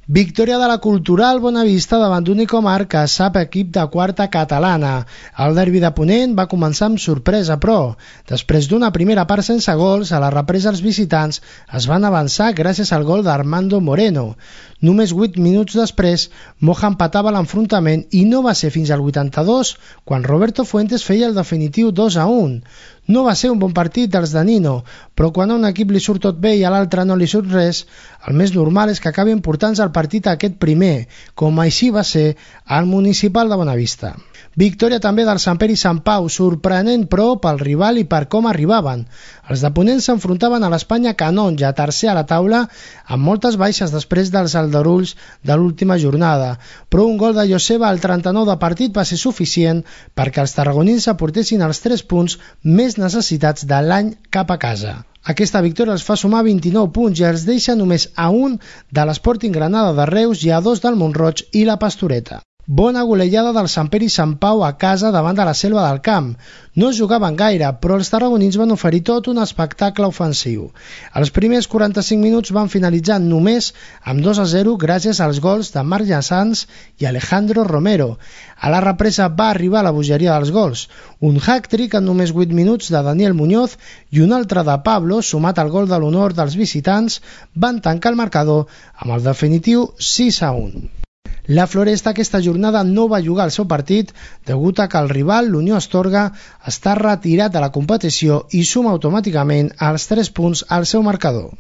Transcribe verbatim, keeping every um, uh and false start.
Victòria de la Cultural Bonavista davant d'Unicomar, que sap equip de quarta catalana. El derbi de Ponent va començar amb sorpresa, però després d'una primera part sense gols, a la represa els visitants es van avançar gràcies al gol d'Armando Moreno. Només vuit minuts després, Moja empatava l'enfrontament i no va ser fins al vuitanta-dos quan Roberto Fuentes feia el definitiu dos a un. No va ser un bon partit dels de Nino, però quan a un equip li surt tot bé i a l'altre no li surt res, el més normal és que acabi portant-se el partit a aquest primer, com així va ser al Municipal de Bonavista. Victòria també del Sant Pere i Sant Pau, sorprenent però pel rival i per com arribaven. Els de Ponent s'enfrontaven a l'Espanya Canonja, tercer a la taula, amb moltes baixes després dels aldarulls de l'última jornada, però un gol de Joseba al trenta-nou de partit va ser suficient perquè els tarragonins aportessin els tres punts més necessitats de l'any cap a casa. Aquesta victòria els fa sumar vint-i-nou punts i els deixa només a un de l'Sporting Granada de Reus i a dos del Mont-roig i la Pastoreta. Bona golejada del Sant Pere i Sant Pau a casa davant de la Selva del Camp. No jugaven gaire, però els tarragonins van oferir tot un espectacle ofensiu. Els primers quaranta-cinc minuts van finalitzar només amb dos a zero gràcies als gols de Marc Llassans i Alejandro Romero. A la represa va arribar la bogeria dels gols. Un hat-trick en només vuit minuts de Daniel Muñoz i un altre de Pablo, sumat al gol de l'honor dels visitants, van tancar el marcador amb el definitiu sis a un. La Floresta aquesta jornada no va jugar el seu partit degut a que el rival, l'Unió Astorga, està retirat de la competició i suma automàticament els tres punts al seu marcador.